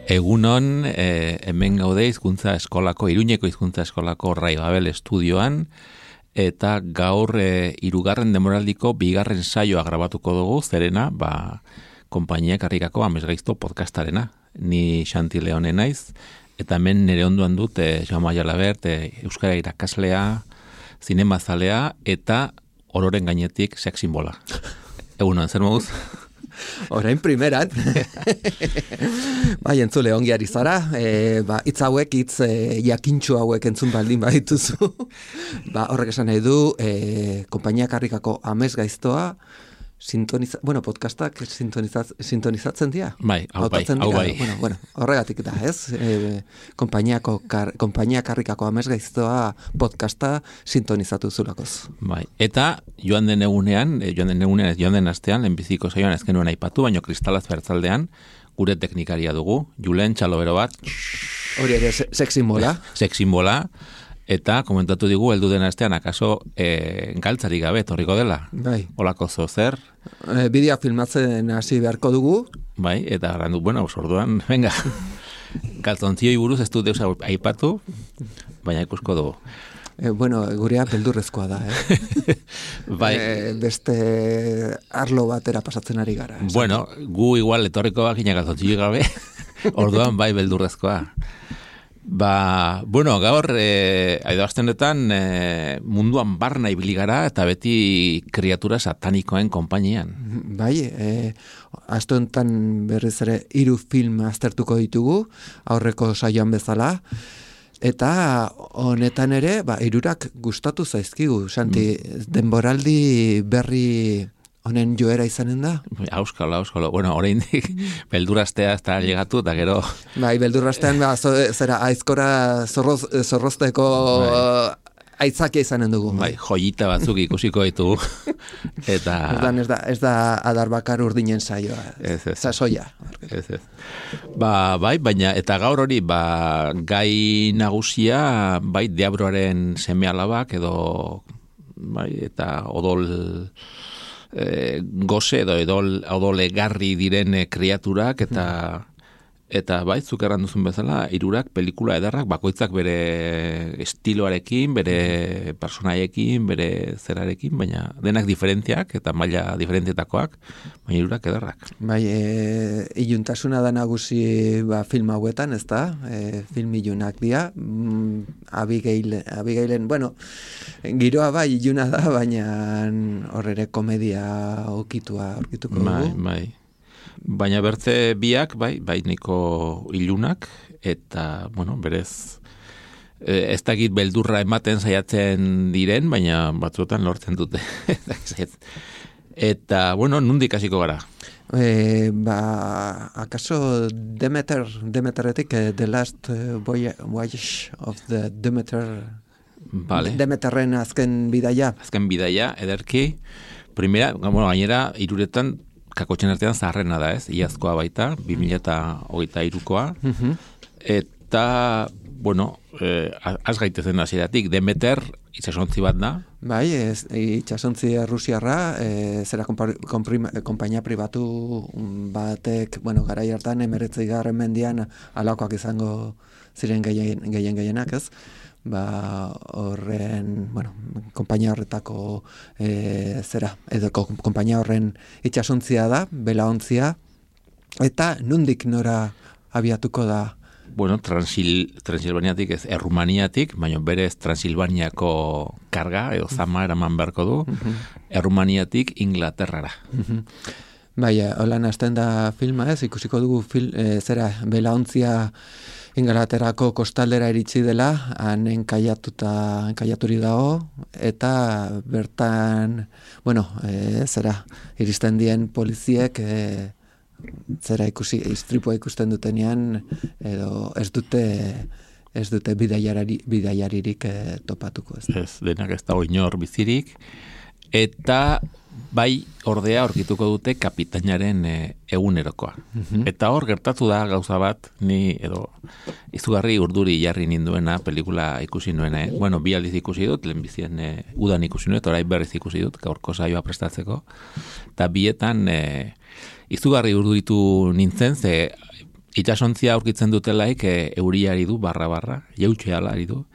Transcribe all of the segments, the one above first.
Egunon, hemen gaude hizkuntza eskolako, Iruñeko hizkuntza eskolako Rai Babel estudioan, eta gaur hirugarren demoraldiko bigarren saioa grabatuko dugu, zerena, konpainiak harrikako Amesgaizto podcastarena. Ni Xanti Leone naiz, eta hemen nire onduan dut Jaume Jalabert, euskara irakaslea, zinemazalea, eta ororen gainetik sex simbola. Egunon, zer moduz? Orain primeran. Bai, entzule ongi ari zara. Hitz hauek, hitz jakintxo hauek entzun baldin badituzu. Horrek esan nahi du, konpainiak harrikako Amesgaiztoa, podcastak sintonizatzen dira? Bai, hau bai. Bueno, horregatik da, ez? Konpainiak harrikako Amesgaiztoa podcasta sintonizatu zulakoz. Bai, eta joan den astean, lehenbiziko saioan ez genuen aipatu, baino Kristalaz bertzaldean, gure teknikaria dugu, Julen txalobero bat. Hori ere, sex simbola. Sex simbola. Eta komentatu digu, heldu den astean, akaso galtzari gabe, torriko dela. Bai. Olako zer. Bidea filmatzen hasi beharko dugu. Bai, eta garandu, orduan, venga. Galtzontzioi buruz ez du deus aipatu, baina ikusko dugu. Gurea beldurrezkoa da, Bai. Beste arlo batera pasatzen ari gara. Gu igual etorriko bakina galtzontzio gabe, orduan bai beldurrezkoa. Gaur, astenetan munduan barna ibili gara eta beti kriatura satanikoen konpainian. Bai, aste honetan berriz ere 3 film aztertuko ditugu, aurreko saioan bezala, eta honetan ere, 3 gustatu zaizkigu, Santi, denboraldi berri honen joera izanen da? Auskalo. Oraindik beldurrastea ez da llegatu, eta gero... Bai, beldurrastean, zera aizkora zorrozteko aitzakia izanen dugu. Bai, joyita batzuk ikusiko ditugu. Eta... Ez da adar bakar urdinen saioa. Ez. Sasoia. Ez. Bai, baina, eta gaur hori, gai nagusia, bai, Deabroaren seme alabak, edo, bai, eta odol... goze edo odolegarri diren kriaturak eta bai, zuk erranduzun bezala, 3 pelikula edarrak, bakoitzak bere estiloarekin, bere personaiekin, bere zerarekin, baina denak diferentziak eta maila diferentietakoak, baina 3 edarrak. Bai, iluntasuna da nagusi film hauetan, ez da? Film ilunak dira, Abigailen, giroa bai iluna da, baina horrere komedia aurkituko dugu. Bai. Baina bertze biak, bai niko ilunak, eta, berez, ez dakit beldurra ematen saiatzen diren, baina batzuetan lortzen dute. Eta, nondik hasiko gara? Akaso Demeteretik, The Last Voyage of the Demeter... Vale. Demeterren azken bidaia. Azken bidaia, ederki. Primera, gainera, 3 kakotxen artean zaharrena da, ez? Iazkoa baita, 2023koa. Eta, az gaitezen hasieratik, Demeter itsasontzi bat da. Bai, itsasontzi rusiarra, zera konpainia pribatu batek, garai hartan 19. mendian alakoak izango ziren gehienak, ez? Horren, konpainia horretako edo konpainia horren itsasontzia da, belaontzia, eta nondik nora abiatuko da? Transilvaniatik ez, Errumaniatik, baina berez Transilvaniako karga, edo zama eraman beharko du, Errumaniatik Inglaterrara. Bai, holan hasten da filma ez, ikusiko dugu belaontzia Inglaterrako kostaldera iritsi dela, han enkaiaturi dago, eta bertan, iristen dien poliziek, istripua ikusten dutenean, edo ez dute bidaiaririk topatuko. Ez, denak ez dago inor bizirik, eta bai ordea aurkituko dute kapitainaren egunerokoa. Eta hor gertatu da gauza bat, ni edo izugarri urduri jarri ninduena pelikula ikusi nuena. 2 aldiz ikusi dut, lehenbizien udan ikusi nuen, orain berriz ikusi dut, gaurko saioa prestatzeko. Eta bietan izugarri urduritu nintzen, ze Itsasontzia aurkitzen dutelaik euria ari du, barra, jautxeala ari du.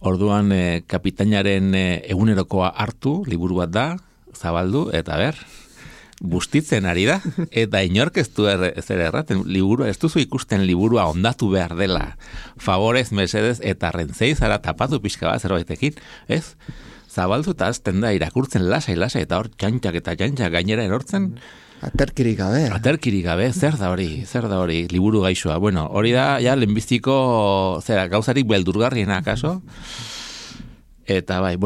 Orduan kapitainaren egunerokoa hartu, liburu bat da, zabaldu, eta bustitzen ari da, eta inork ez du zer erraten, liburua, ez duzu ikusten liburua ondatu behar dela, favorez, mesedez, eta rentzei zara tapatu pixka bat zerbaitekin, ez? Zabaldu eta azten da irakurtzen lasai, eta hor txantxak gainera erortzen. Aterkirik gabe. Zer da hori, liburu gaixoa. Bueno, hori da, ja, lehenbiztiko, gauzarik beldurgarriena, akaso? Eta bai,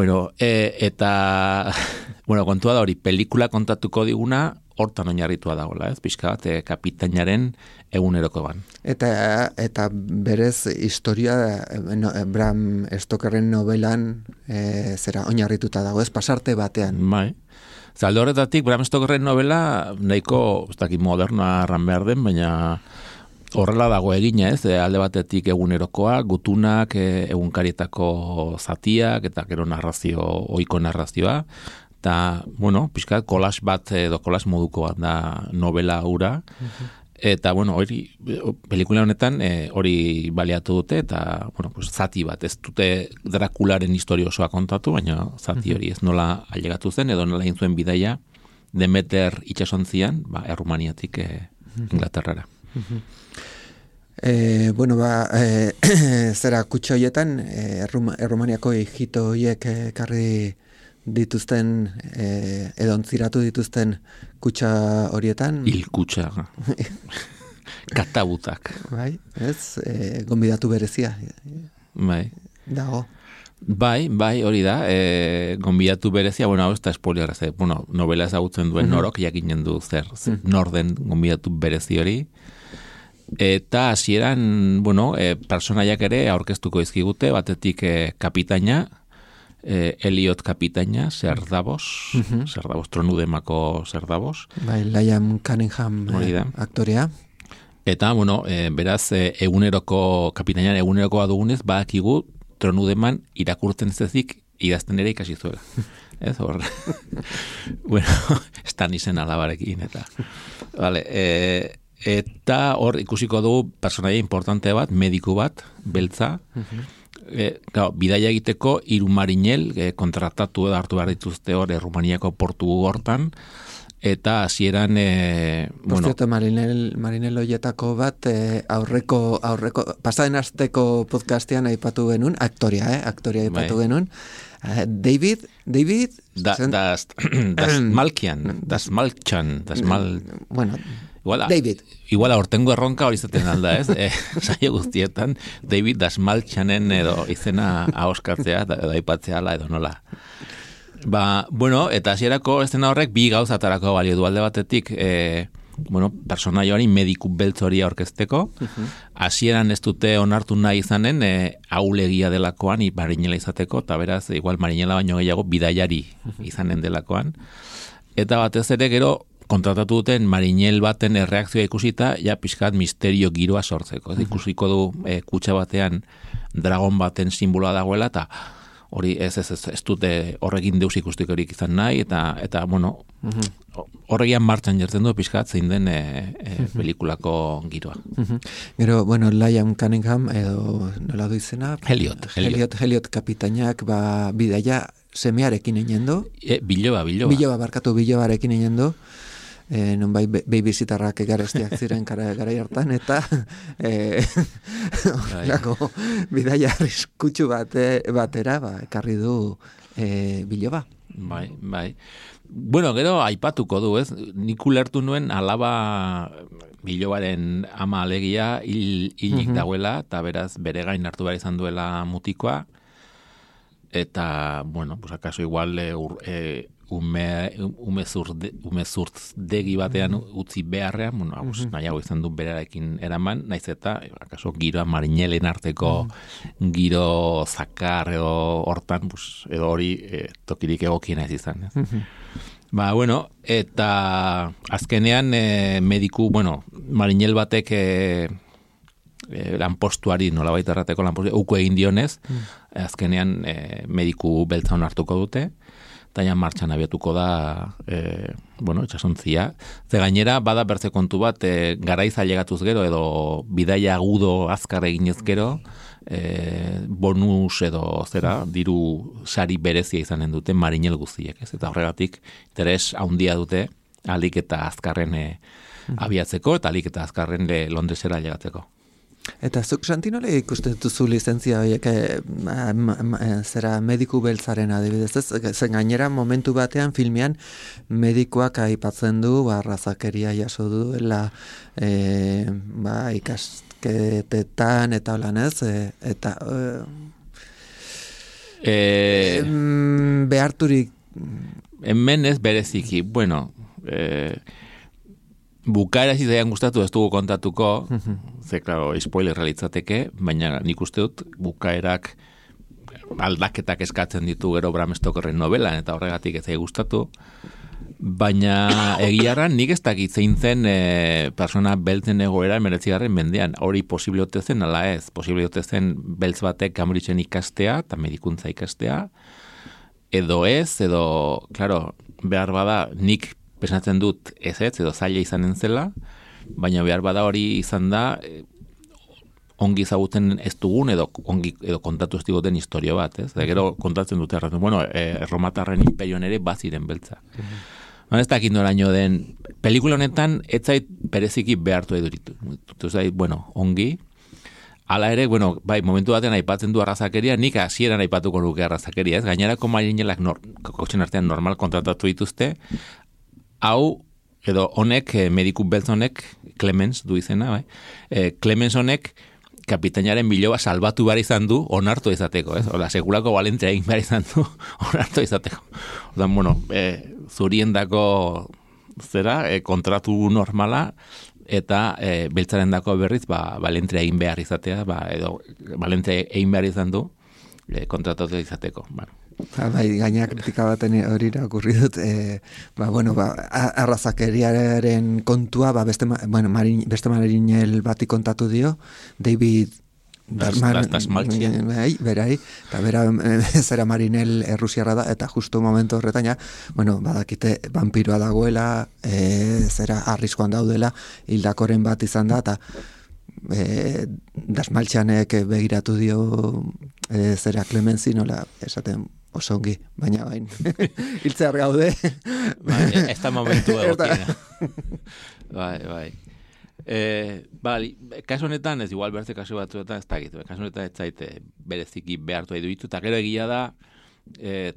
kontua da hori, pelikula kontatuko diguna, hortan oinarritua dagoela, ez? Pixka bat, kapitainaren egunerokoan. Eta berez historia Bram Stokerren novelan oinarrituta dago, ez? Pasarte batean. Bai. Zalde horretatik, Bram Stokerren novela nahiko, ez dakit modernoa arran behar den, baina horrela dago egina, ez? Alde batetik egunerokoa, gutunak, egunkarietako zatiak, eta gero ohiko narrazioa, eta, pixkat, kolas bat edo kolas moduko bat da novela hura, eta, hori, pelikula honetan hori baliatu dute, eta, zati bat, ez dute Drakularen historia osoa kontatu, baina zati hori ez nola ailegatu zen, edo nola egin zuen bidaia Demeter itsasontzian, Errumaniatik Inglaterrara. Zera kutxa horietan, Errumaniako hijito horiek karri dituzten, edontziratu dituzten kutxa horietan. Hilkutxa. Katabutak. Bai, ez, gonbidatu berezia. Bai. Dago. Bai, hori da, gonbidatu berezia, hau ez da spoiler, novela ezagutzen duen norok, jakinen du norden gonbidatu berezi hori. Eta hasieran, personaiak ere aurkeztuko izkigute, batetik kapitaina, Elliot kapitaina, Ser Davos, Tronudemako Ser Davos. Bai, Liam Cunningham aktorea. Eta, beraz, kapitainan egunerokoa dugunez, badakigu Tronudeman irakurtzen zezik idazten ere ikasi zuela. Ez hor. Estan izen alabarekin, eta. Vale, eta hor ikusiko dugu personaia importante bat, mediku bat, beltza, bidaia egiteko 3 marinel kontratatu edo hartu behar dituzte hor Errumaniako portu hortan, eta hasieran marinel hoietako bat aurreko pasaden asteko podcastean aipatu genuen, aktoria aipatu genuen, David das Malkian, David. Igual aurtengo erronka hori zaten alda, ez? Saio guztietan, David Dasmaltxanen edo izena ahoskatzea, edo aipatzea ala edo nola. Eta hasierako estena horrek 2 gauzatarako balio du alde batetik, personaioari mediku beltz hori aurkezteko, hasieran ez dute onartu nahi izanen, ahulegia delakoan, marinela izateko, eta beraz, igual marinela baino gehiago, bidaiari izanen delakoan. Eta batez ere gero, kontratatu duten marinel baten erreakzioa ikusita, pixkat misterio giroa sortzeko. Ikusiko du kutxa batean dragon baten simboloa dagoela, eta hori ez dute horrekin deus ikustikorik izan nahi, eta horregian martxan jertzen du pixkat zein den pelikulako giroa. Gero, Liam Cunningham, edo nola du izena? Elliot kapitainak bidaia semearekin egin du. Bilobarekin egin du. Nonbai babysitarrak garestiak ziren garai hartan, eta bidaia arriskutsu batera ekarri du biloba. Bai. Gero aipatuko du, ez? Nik ulertu nuen alaba bilobaren ama alegia hilik dagoela, eta beraz bere gain hartu behar izan duela mutikoa, eta, akaso igual umezurtdegi batean utzi beharrean, nahiago izan du berarekin eraman, naiz eta, akaso, giroa marinelen arteko giro zakar edo hortan, edo hori tokirik egokiena ez izan. Eta azkenean mediku, marinel batek lanpostuari, nolabait errateko lanpostuari, uko egin dionez, azkenean mediku beltza hartuko dute, eta ja martxan abiatuko da, itxasontzia. Ze gainera, bada bertze kontu bat, garaiz ailegatuz gero, edo bidaia agudo azkar eginez gero, bonus edo diru sari berezia izanen dute marinel guztiek, ez? Eta horregatik, interes handia dute, alik eta azkarren abiatzeko, eta alik eta azkarren Londresera ailegatzeko. Eta zuk Santinola ikusten duzu lizentzia horiek zera mediku beltzaren adibidez, zen gainera momentu batean filmean medikuak aipatzen du arrazakeria jaso duela ikasketetan eta holan ez, eta beharturik hemen ez bereziki, bukaera zizaian gustatu ez dugu kontatuko, ze, klaro, spoiler realitzateke, baina nik uste dut bukaerak aldaketak eskatzen ditu gero Bram Stokerren novelan, eta horregatik ez gustatu, baina egiarran nik ez dakit zein zen persona beltzen egoera 19. mendean, hori posible ote zen, ala ez, posible ote zen beltz batek Cambridgeen ikastea, eta medikuntza ikastea, edo ez, edo, klaro, behar bada nik pesatzen dut ez edo zaila izanen zela, baina behar bada hori izan da ongi ezaguten ez dugun edo kontatu ez diguten historio bat, ez? Gero kontatzen dute erromatarren imperioan ere baziren beltza. Ez dakit noraino den, pelikula honetan ez zait bereziki behartu eduritu. Ongi. Hala ere, momentu batean aipatzen du arrazakeria, nik hasieran aipatuko luke arrazakeria, ez? Gainerako marinelak kokotxen artean normal kontratatu dituzte, hau, edo honek, mediku beltz honek, Clemens du izena, Clemens honek kapitainaren biloba salbatu behar izan du onartu izateko, ez? Ola, sekulako balentzia egin behar izan du onartu izateko. Oda, zuriendako kontratu normala, eta beltzaren dako berriz, balentzia egin behar izatea, edo balentzia egin behar izan du kontratatu izateko, gaina kritika baten hori irakurri dut, arrazakeriaren kontua, beste marinel bati kontatu dio, David Dasmalchian. Berai, eta bera zera marinel errusiarra da, eta justu momentu horretan, badakite vampiroa dagoela, zera arriskoan daudela, hildakoren bat izan da, eta Dasmalchianek begiratu dio zera Clemensi, nola esaten osongi, baina bain hiltzear gaude. Ez da momentu egokiena. Bai. Kasu honetan, ez igual bertze kasu batzuetan, ez dakit, kasu honetan ez zaite bereziki behartu edo ditu, eta gero egia da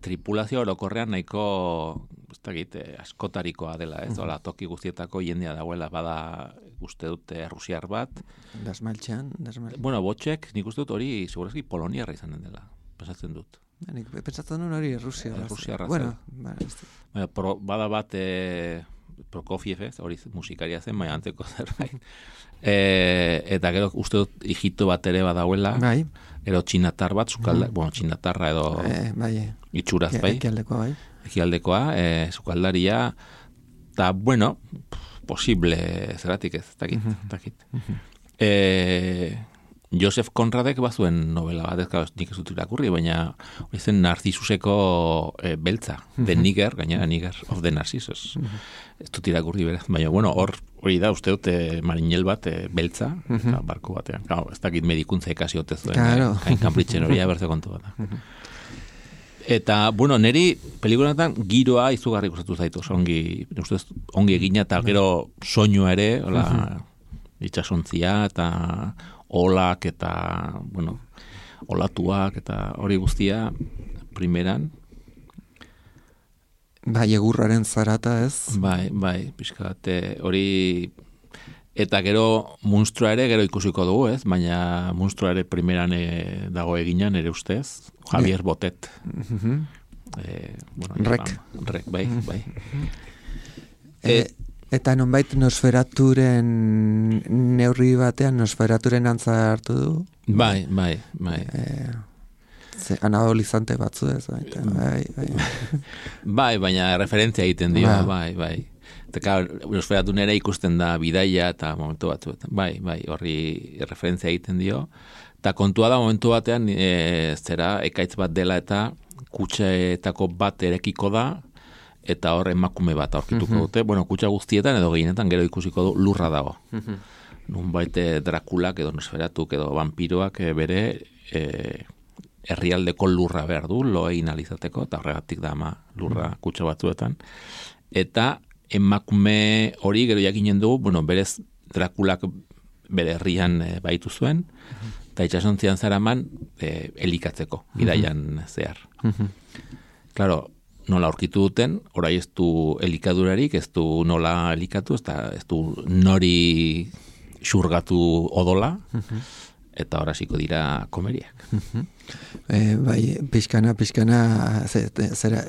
tripulazio orokorrean nahiko, ez dakit, askotarikoa dela, ez? Ola, toki guztietako jendea dagoela, bada uste dute rusiar bat. Dasmalchian. Botxek, nik uste dut hori, segurazki Poloniarra izanen dela, pensatzen dut. Nik pentsatzen duen hori Rusiarra. Bada bat Prokofiev, hori musikaria zen, baina antzeko zerbait. Eta gero uste dut Egipto bat ere badauela, gero txinatar bat, txinatarra edo itxuraz, ekialdekoa, sukaldaria, eta posible zeratik ez, dakit. Joseph Conradek bazuen novela bat, nik ez dut irakurri, baina hori zen Narcisuseko beltza, The Nigger, gainera Nigger of the Narcissus. Ez dut irakurri beraz, baina hori da, uste dut marinel bat beltza, barko batean. Ez dakit medikuntza ikasi ote zuen, Cambridgeen hori bertze kontu bat. Eta, neri pelikuletan giroa izugarri gustatu zaitu, ongi egina, eta gero soinua ere, itxasontzia, eta olak eta, olatuak eta hori guztia primeran. Egurraren zarata ez? Pixkat, hori, eta gero munstrua ere gero ikusiko dugu, ez? Baina munstrua ere primeran dago eginan ere ustez, Javier Botet. Rek, bai. Eta nonbait Nosferaturen neurri batean Nosferaturen antza hartu du? Bai. Anabolizante batzu ez, bai, baina referentzia egiten dio, bai. Eta Nosferatun ere ikusten da bidaia eta momentu batzuetan. Bai, horri referentzia egiten dio. Eta kontua da momentu batean, ekaitz bat dela eta kutxetako bat erekiko da, eta hor emakume bat aurkituko dute. Bueno, kutxa guztietan edo gehienetan gero ikusiko du lurra dago. Nunbait Drakulak edo Nosferatuk edo vampiroak bere herrialdeko lurra behar du, lo egin alizateko, eta horregatik da ama lurra kutxa batzuetan. Eta emakume hori gero jakinen du, bueno, berez Drakulak bere herrian baitu zuen, eta itxasontzian zaraman elikatzeko, bidaian zehar. Claro, nola aurkitu duten, orai ez du elikadurarik, ez du nola elikatu, ez du nori xurgatu odola, eta horasiko dira komeriak. Bai, pixkana, zera,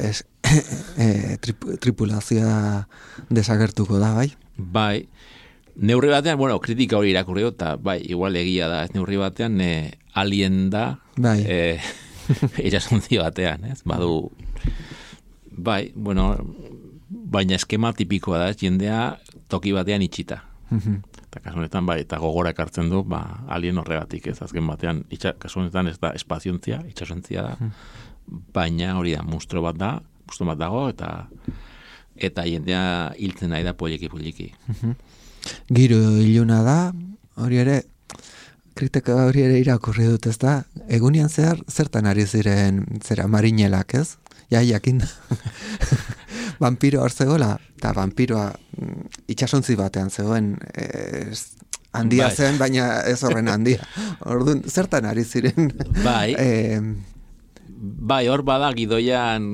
tripulazioa desagertuko da, bai? Bai, neurri batean, bueno, kritika hori irakurri eta bai, igual egia da, ez neurri batean alien da, bai. Itxasontzi batean, ez? Badu, bai, bueno, baina eskema tipikoa da, jendea toki batean itxita. Eta kasu honetan, bai, eta gogora ekartzen du, alien horregatik, ez? Azken batean, kasu honetan ez da espaziontzia, itxasontzia da, baina hori da, monstruo bat dago, eta jendea hiltzen nahi da poliki. Giro iluna da, hori ere, kritika hori ere irakurri dut, ez da? Egunean zertan ari ziren, marinelak, ez? Ja, jakin da. Vampiro hor zegoela, eta vampiroa itxasontzi batean zegoen, handia zen, baina ez horren handia. Orduan, zertan ari ziren? Bai. Bai, hor bada gidoian,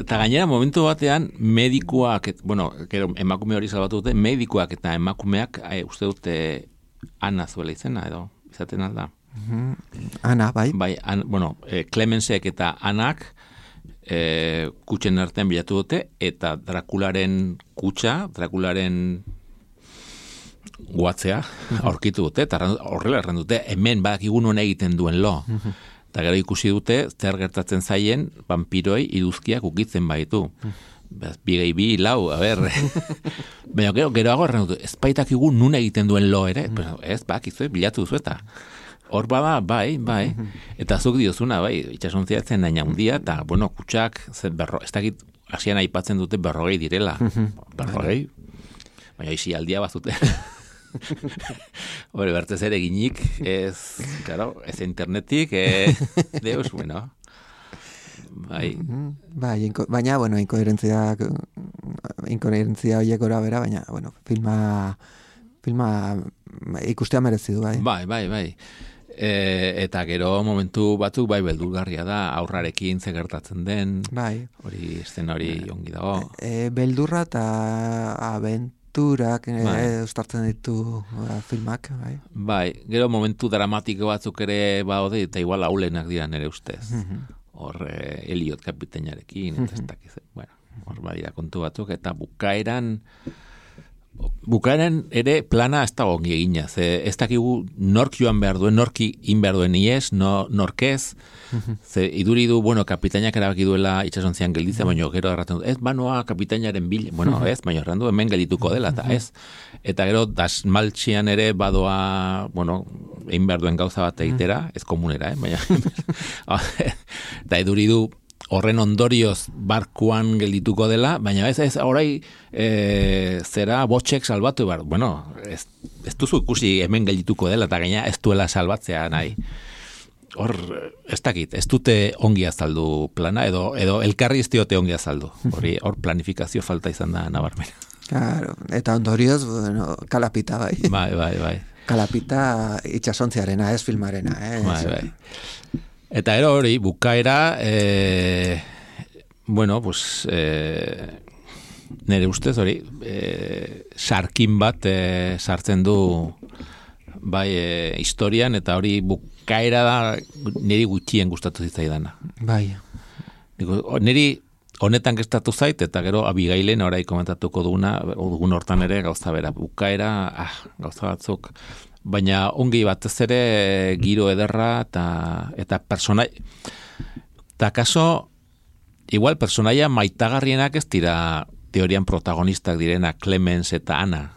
eta gainera momentu batean medikuak, bueno, emakume hori salbatu dute, medikuak eta emakumeak, uste dute Ana zuela izena, edo, izaten alda. Ana, bai. Bai, bueno, Clemensek eta Anak kutxen artean bilatu dute, eta Drakularen kutxa, Drakularen guatzea aurkitu dute, eta horrela erran dute, hemen badakigu non egiten duen lo. Eta gero ikusi dute, zer gertatzen zaien, vampiroi iduzkiak ukitzen baitu. Bigei bi, lau, a ber. Baina geroago erran dute, ez baitakigu nun egiten duen lo ere, ez bakizu, bilatu duzu eta. Hor bada, bai, eta zuk diozuna, bai, itxasontzia zen naina handia, eta, bueno, kutsak, ez dakit, hasian aipatzen dute 40 direla. 40? Baina isi aldia bazute. Hore, bertez ere ginik, ez, claro, ez internetik, deus, bueno. Bai. Baina, bueno, inkoherentzia horiek gora bera, baina, bueno, filma ikustea merezi du, bai. Bai. Eta gero momentu batzuk bai beldurgarria da, aurrarekin ze gertatzen den, bai. Hori eszena hori ongi dago. Beldurra eta abenturak ustartzen ditu filmak, bai. Bai, gero momentu dramatiko batzuk ere badaude eta igual aulenak dira nere ustez. Hor Elliot kapiteinarekin, eta ez dakiz, bueno, hor badira kontu batzuk, eta bukaeran ere plana ez da ongi egina, ez dakigu nork joan behar duen, norki in behar duen ies, norkez, ze iduri du, bueno, kapitainak erabaki duela itxasontzian gelditzea, baina gero erraten du, ez banoa kapitainaren bil, bueno, ez, baina errandu hemen geldituko dela, eta ez, eta gero dasmaltxian ere badoa, bueno, egin behar duen gauza bat egitera, ez komunera, baina, eta iduri du, horren ondorioz barkuan geldituko dela, baina ez orai zera botxek salbatu behar. Bueno, ez duzu ikusi hemen geldituko dela, eta gaina ez duela salbatzea nahi. Hor, ez dakit, ez dute ongi azaldu plana, edo elkarri ez diote ongi azaldu. Hor planifikazio falta izan da nabarmena. Claro, eta ondorioz, bueno, kalapita, bai. Bai. Kalapita itxasontziarena, ez filmarena, Bai. Eta ero hori, bukaera, bueno, pues, nire ustez hori, sarkin bat sartzen du bai historian, eta hori bukaera da niri gutxien gustatu zitzaidana. Bai. Niri honetan gestatu zait, eta gero Abigailen orai komentatuko dugun hortan ere gauza bera. Bukaera, gauza batzuk, baina ongi batez ere giro ederra eta personai. Eta kaso, igual personaia maitagarrienak ez dira teorian protagonistak direna Clemens eta Ana.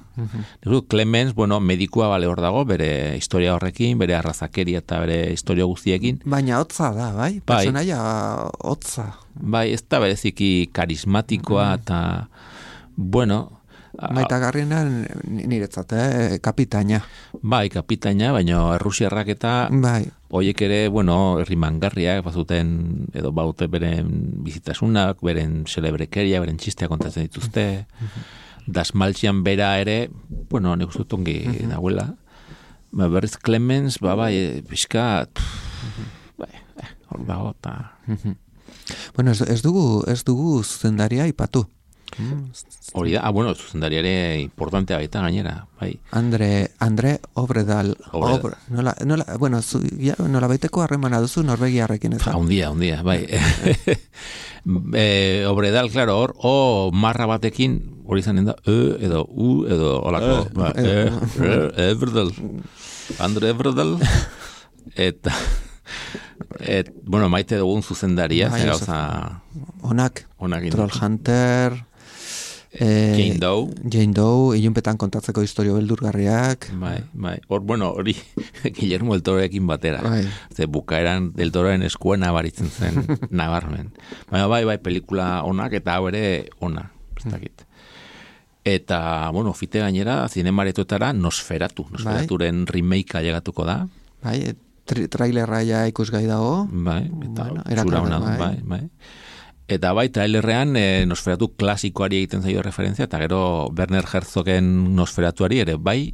Clemens, bueno, medikua bale hor dago, bere historia horrekin, bere arrazakeria eta bere historia guztiekin. Baina hotza da, bai? Personaia hotza. Bai, ez da bereziki karismatikoa eta, bueno... Maitagarriena niretzat, kapitaina. Bai, kapitaina, baina errusiarrak eta hoiek ere, bueno, herrimangarriak bazuten, edo baute beren bizitasunak, beren celebrekeria, beren txistea kontatzen dituzte. Dasmaltzian bera ere, bueno, nik uste ongi nahuela. Berriz Clemens, bai, pixka, hor dago, eta... Bueno, ez dugu zuzendaria ipatu. Hori da, bueno, zuzendaria ere importantea baita gainera, bai. Andre Obredal. Bueno, nola baiteko harremana duzu Norvegiarrekin ez da? Hundia, bai. Obredal, claro, hor, marra batekin, hori zanen da, edo, edo, olako, Ebredal. Andre Ebredal. Eta... bueno, maite dugun zuzendaria, Onak, Trollhunter, Jane Doe, ilunpetan kontatzeko historio beldurgarriak. Bai. Bueno, hori Guillermo del Tororekin batera. Ze bukaeran del Tororen eskuena baritzen zen nabarmen. Baina bai, pelikula onak eta hau ere ona, ez dakit. Eta, bueno, fite gainera, zinemaretoetara Nosferaturen remakea llegatuko da. Bai, trailerra ja ikusgai dago. Bai, eta zura hona, bai. Eta bai, trailerrean Nosferatu klasikoari egiten zaio referentzia, eta gero Werner Herzogen Nosferatuari ere bai,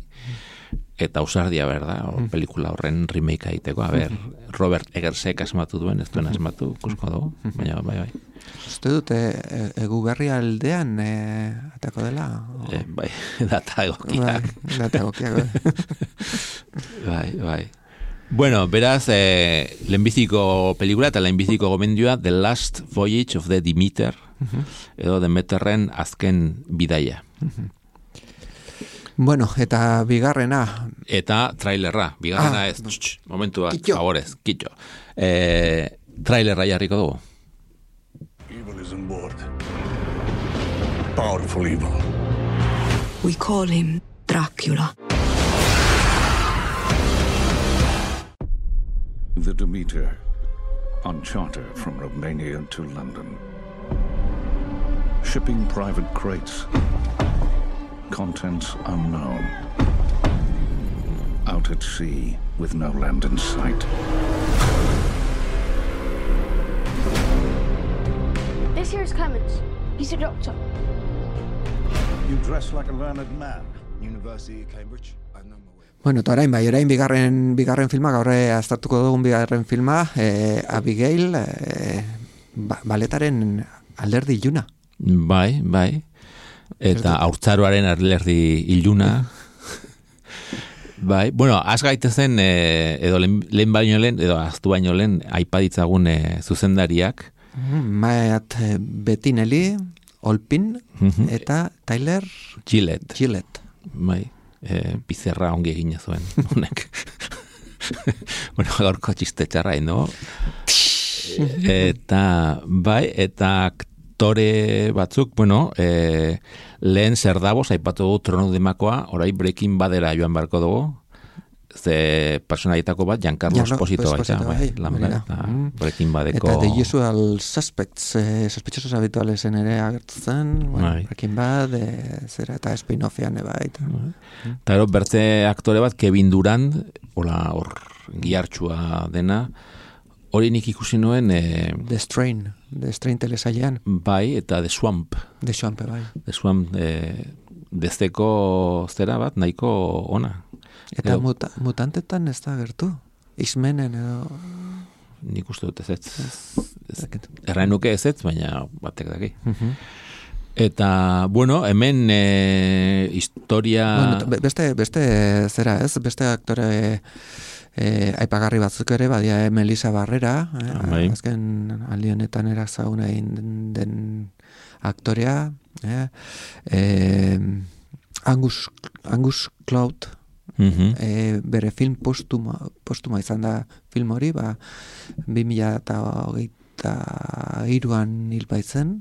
eta ausardia berda, pelikula horren remake egiteko. A ber, Robert Eggersek asmatu duen, ez duen asmatu, ikusko dugu, baina bai. Uste dute, Eguberri aldean atako dela? Bai, data egokiak. Bai. Bueno, beraz, lehenbiziko pelikula eta lehenbiziko gomendioa The Last Voyage of the Demeter, edo Demeterren azken bidaia. Bueno, eta bigarrena. Eta trailerra, bigarrena ez, momentu bat, favorez, kitxo. Trailerra jarriko dugu. Evil is on board. Powerful evil. We call him Dracula. The Demeter, on charter from Romania to London. Shipping private crates. Contents unknown. Out at sea with no land in sight. This here is Clemens. He's a doctor. You dress like a learned man. University of Cambridge. Bueno, eta orain bigarren filma, gaur aztertuko dugun bigarren filma, Abigail, baletaren alderdi iluna. Bai. Eta haurtzaroaren alderdi iluna. Bai, bueno, az gaitezen, edo lehen baino lehen, edo aztu baino lehen, aipaditzagun zuzendariak. Matt Bettinelli, Olpin, eta Tyler Gillett. Bai. Pizerra ongi egina zuen, honek. Bueno, gaurko txiste txarra, no? Eta, bai, eta aktore batzuk, bueno, lehen zer dagoz, aipatu dugu Trono de Makoa, orai Breaking Badera joan barko dugu, ze personalitako bat, Giancarlo Esposito baita, Breaking Badeko... Eta The Usual Suspects, sospechosos habitualesen ere agertzen, Breaking Bad, zera eta spin-offian baita. Eta bertze aktore bat, Kevin Durant, hor gihartxua dena, hori nik ikusi nuen... The Strain telesailean. Bai, eta The Swamp. The Swamp, bai. The Swamp, dezteko zera bat, nahiko ona. Eta mutantetan ez da gertu? X-Menen edo... Nik uste dut ez. Erraen nuke ez, baina batek daki. Eta, bueno, hemen historia... Bueno, beste zera ez, beste aktore aipagarri batzuk ere, badia Melissa Barrera, azken alionetan erazaguna egin den aktorea, Angus Cloud, bere film postuma izan da film hori, 2023an hil baitzen.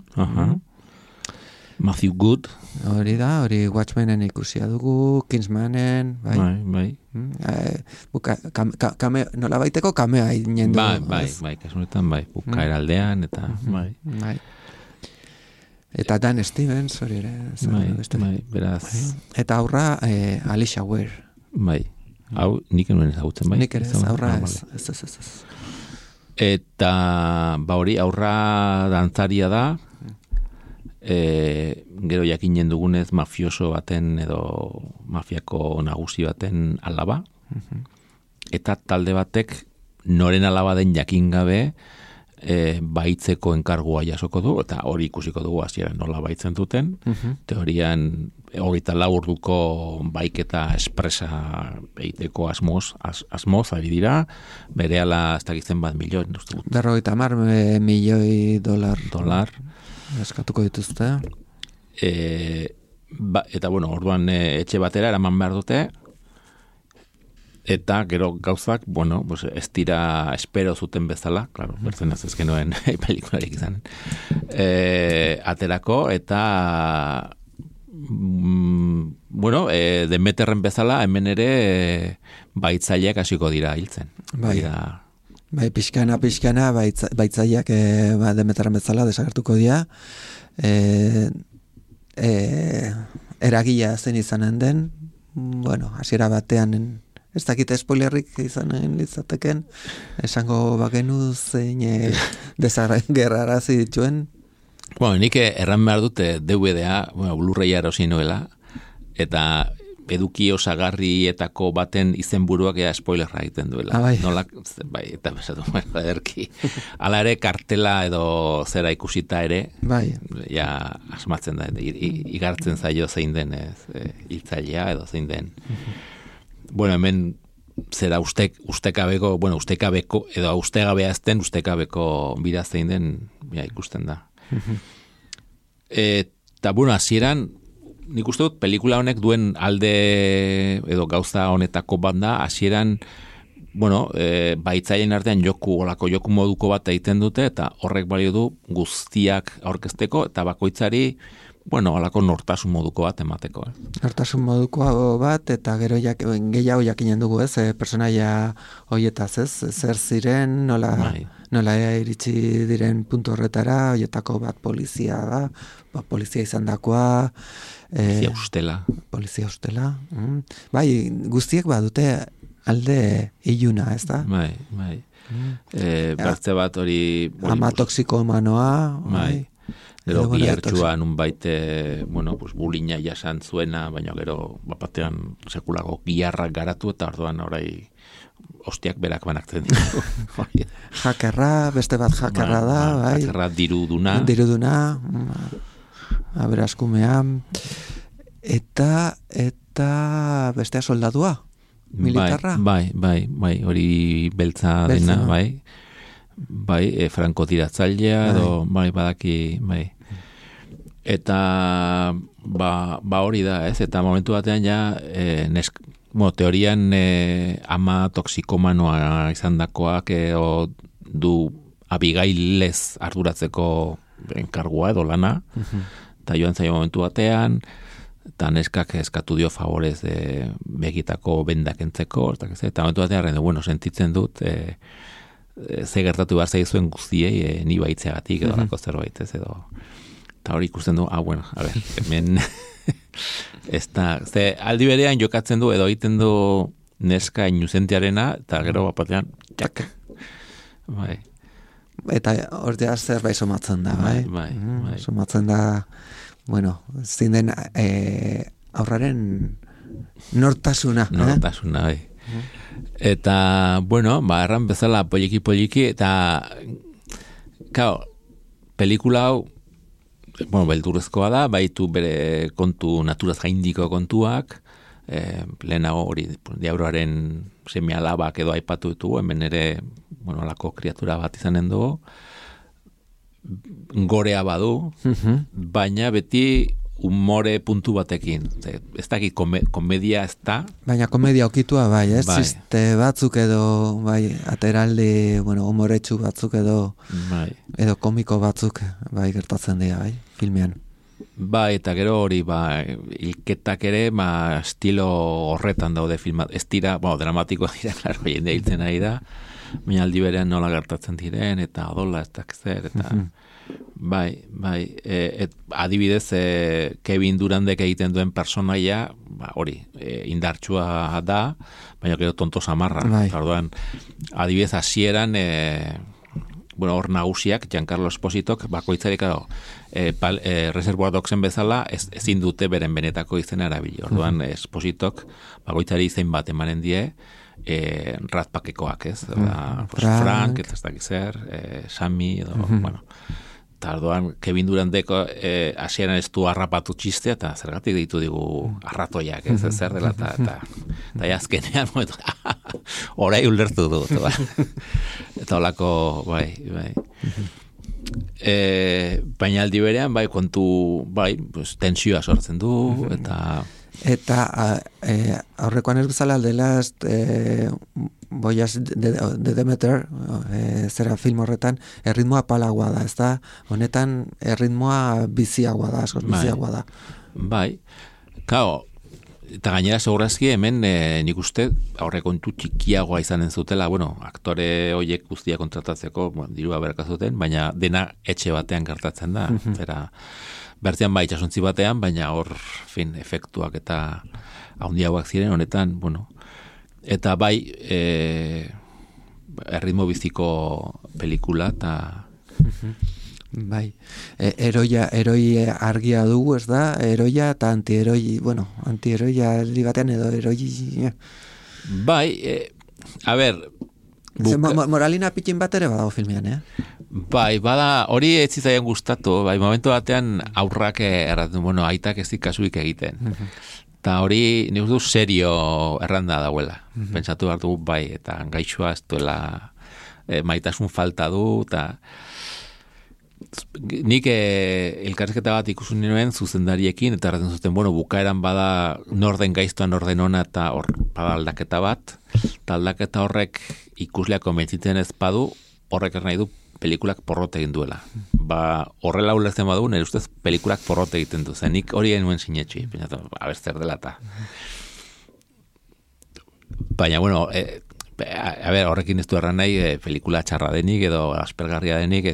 Matthew Good. Hori da, hori Watchmenen ikusia dugu, Kingsmanen, bai. Bai. Nola baiteko kamea inen du. Bai, kasunetan, bai, bukaera aldean, eta, bai. Eta Dan Stevens, hori ere. Bai, beraz. Eta aurra, Alicia Ware. Bai, hau nik enuen ezagutzen, bai. Nik ere ez, aurra ez. Eta, hori, aurra dantzaria da, gero jakinen dugunez mafioso baten edo mafiako nagusi baten alaba, eta talde batek noren alaba den jakin gabe baitzeko enkargua jasoko du, eta hori ikusiko dugu hasieran nola baitzen duten, teorian 24 orduko baiketa espresa egiteko asmoz ari dira, berehala ez dakitzen bat milioi, uste dut. 50 milioi dolar. Eskatuko dituzte. Eta, orduan etxe batera eraman behar dute, eta gero gauzak, ez dira espero zuten bezala, claro, bertzen ez ezkenuen pelikularik izan. Aterako, eta Demeterren bezala, hemen ere baitzaileak hasiko dira hiltzen. Bai, pixkana, baitzaileak Demeterren bezala desagertuko dira. Eragila zen izanen den, hasiera batean, ez dakit spoilerrik izanen litzateken, esango bagenu zein desagerrarazi dituen. Nik erran behar dute DVD-a, Blu-raya erosi nuela, eta eduki osagarrietako baten izenburuak spoilerra egiten duela. Bai, eta besatu, ederki. Hala ere, kartela edo zera ikusita ere, ja asmatzen da, igartzen zaio zein den hiltzailea edo zein den. Hemen zera ustekabeko, edo ustegabea ezten ustekabeko bira zein den, ikusten da. Eta, hasieran, nik uste dut, pelikula honek duen alde edo gauza honetako bat da, hasieran, baitzaileen artean joku moduko bat egiten dute, eta horrek balio du guztiak aurkezteko, eta bakoitzari, holako nortasun moduko bat emateko. Nortasun moduko bat, eta gero gehiago jakinen dugu, personaia hoietaz, zer ziren, nola iritsi diren puntu horretara, hoietako bat polizia da, polizia izan dakoa, Polizia ustela. Bai, guztiek badute alde iluna, ez da? Bai. Bertze bat hori... Ama toxikomanoa. Bai. Gero gihartxua nun baite, bulina jasan zuena, baina gero batean sekulako giharrak garatu, eta orduan orai ostiak berak banaktzen ditu. Jakerra, beste bat jakerra da, bai. Jakerra diruduna. Aberaskumea, eta bestea soldadua, militarra. Bai, hori beltza dena, bai, frankotiratzailea, edo, badaki, bai. Eta, hori da, ez, eta momentu batean ja, teorian ama toxikomanoa izan dakoak, du abigailez arduratzeko enkargua edo lana, eta joan zaio momentu batean, eta neskak eskatu dio favorez begitako bendak entzeko, eta momentu batean, sentitzen dut, ze gertatu behar zaizuen guztiei, ni baitzeagatik edo lako zerbait, ez edo. Eta hori ikusten du, hemen, ez da, aldi berean jokatzen du, edo egiten du neska inuzentiarena, eta gero batean, bai. Eta ortea zerbait somatzen da, bai. Somatzen da, zein den aurraren nortasuna. Nortasuna, bai. Eta, erran bezala poliki, eta, pelikula hau, beldurrezkoa da, baitu bere kontu naturaz gaindiko kontuak, lehenago hori diabroaren semialabak edo aipatu ditugu, hemen ere alako kriatura bat izanen dugu, gorea badu, baina beti umore puntu batekin. Ez dakit komedia ez da. Baina komedia okitua bai, ez? Ziste batzuk edo, bai, ateraldi, umoretsu batzuk edo, edo komiko batzuk, bai, gertatzen dira, bai, filmean. Eta gero hori, hilketak ere, estilo horretan daude filmat. Ez dira, dramatikoa dira, klaro, jende hiltzen ari da, baina aldi berean nola gertatzen diren, eta odola, ez dakzer, eta... adibidez, Kevin Durandek egiten duen personaia, hori, indartsua da, baina gero tonto samarra. Orduan, adibidez, hasieran, hor nagusiak, Giancarlo Espositok, bakoitzari, Reservoir Dogsen bezala, ezin dute beren benetako izena erabili. Orduan, Espositok, bakoitzari izen bat emanen die, ratpakekoak, ez? Frank, ez dakit zer, Sammy, edo, bueno... Eta orduan, Kevin Durandeko hasieran ez du harrapatu txistea, eta zergatik ditu digu arratoiak, ez zer dela, eta azkenean, orai ulertu dut. Eta holako, baina aldi berean, kontu, tensioa sortzen du, Eta aurrekoan ez bezala dela Boyas de Demeter zera film horretan erritmoa palagoa da, ez da? Honetan erritmoa biziagoa da, askoz biziagoa da. Kao, eta gainera segurazki hemen nik uste aurrekontu txikiagoa izanen zutela, aktore horiek guztia kontratatzeko, dirua berakazuten, baina dena etxe batean gertatzen da, zera bertzean itxasuntzi batean, baina hor, efektuak eta handiagoak ziren, honetan, eta erritmo biziko pelikula, eta... Eroi argia dugu, ez da? Eroia eta antieroi, antieroia aldi batean edo eroi... Moralina pitin bat ere badago filmean, bada, hori ez zizaian gustatu, momentu batean aurrak erraten, aitak ez kasuik egiten. Eta hori, nik du serio erranda dauela. Pentsatu behar dugu, eta gaixoa ez duela maitasun falta du, eta nik elkarrizketa bat ikusun nioen zuzendariekin, eta erraten zuten, bukaeran bada norden gaiztoa, norden ona, eta hor bada aldaketa bat, eta aldaketa horrek ikusleak konbentzitzen ez badu, horrek nahi du pelikulak porrot egin duela. Horrela ulertzen badu, nire ustez pelikulak porrot egiten du. Nik hori genuen sinetxi, zer dela eta. Baina, horrekin ez du erran nahi pelikula txarra denik edo aspergarria denik,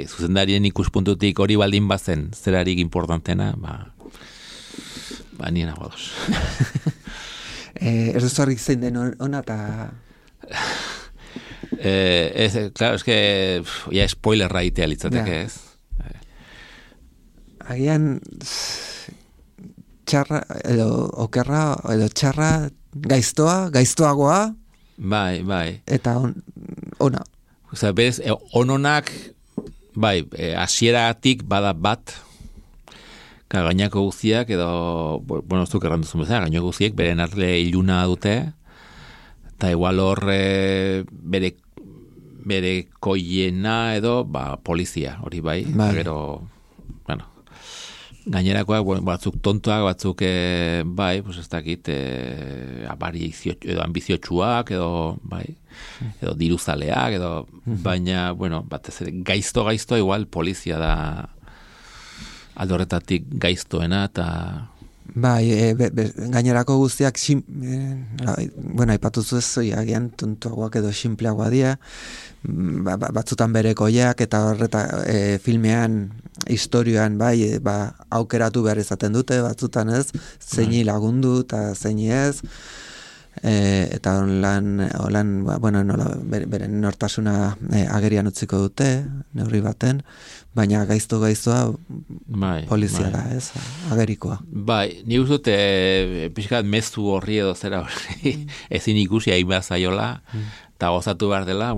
zuzendarien ikuspuntutik hori baldin bazen zerarik importantena, nien agodos. Ez duz horrik zein den ona eta... Claro, es que ya spoiler raitea litzateke, ez? Agian txarra edo okerra edo txarra gaiztoagoa. Bai. Eta ona. Osea, bez, ononak hasieratik bada bat. Gainako guztiak edo ez duk erranduzun bezala, gainako guztiek beren arle iluna dute. Eta igual hor bere koiena edo polizia, hori bai. Gero, gainerakoak batzuk tontoak, batzuk ez dakit edo ambiziotsuak edo edo diruzaleak edo baina, batez ere gaizto igual polizia da aldorretatik gaiztoena eta gainerako guztiak aipatuzu ez agian tontoagoak edo sinpleagoa dira, batzutan berekoiak eta horreta filmean historioan aukeratu behar izaten dute, batzutan ez, zeini lagundu eta zeini ez, eta beren nortasuna agerian utziko dute, neurri baten, baina gaiztoa polizia da, ez, agerikoa. Ni uste pixkat mezu horri edo zera horri, ezin ikusi hainbat zaiola, eta gozatu behar dela,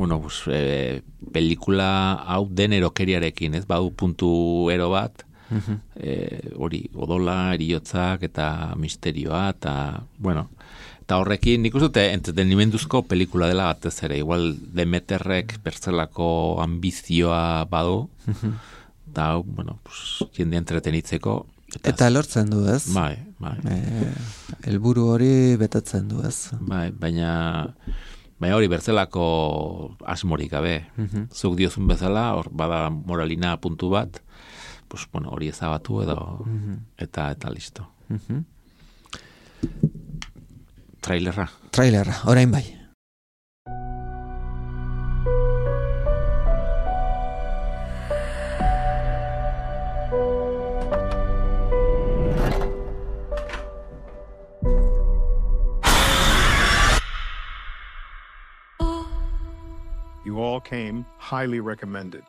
pelikula hau den erokeriarekin, ez, badu puntu ero bat, hori, odola, eriotzak, eta misterioa, eta, eta horrekin, nik uste entretenimenduzko pelikula dela batez ere, igual Demeterrek bertzelako ambizioa badu, eta, jende entretenitzeko. Eta lortzen du, ez? Bai. Helburu hori betetzen du, ez? Baina hori bertzelako asmorik gabe. Zuk diozun bezala, hor bada moralina puntu bat, pues, bueno, hori ezabatu edo, eta listo. Trailerra, orain bai. You all came highly recommended.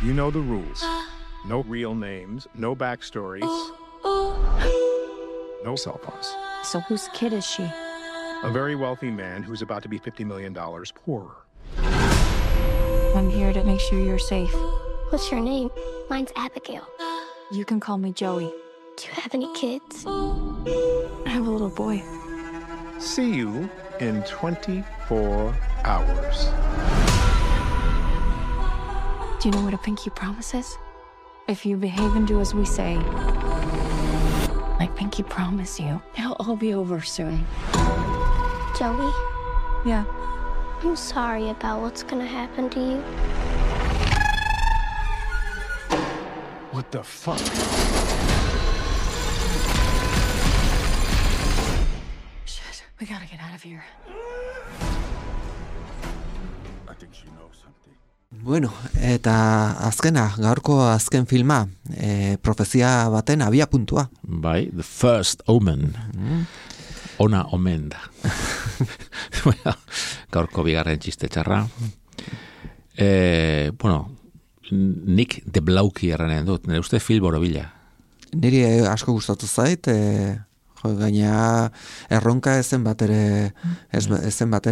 You know the rules. No real names, no backstories, no cell phones. So whose kid is she? A very wealthy man who's about to be $50 million poorer. I'm here to make sure you're safe. What's your name? Mine's Abigail. You can call me Joey. Do you have any kids? I have a little boy. See you in 24 hours. Do you know what a pinky promise is? If you behave and do as we say, I pinky promise you, it'll all be over soon. Joey, Yeah. I'm sorry about what's gonna happen to you. What the fuck? Shit, we gotta get out of here. I think she knows something. Bueno, eta azkena, gaurko azken filma, profezia baten abia puntua. bai, The First Omen. Ona omen da. Bueno, gaurko bigarren txiste txarra. Bueno, nik de blauki erranen dut, nire uste film borobila. Niri asko gustatu zait, gaina erronka ezen batere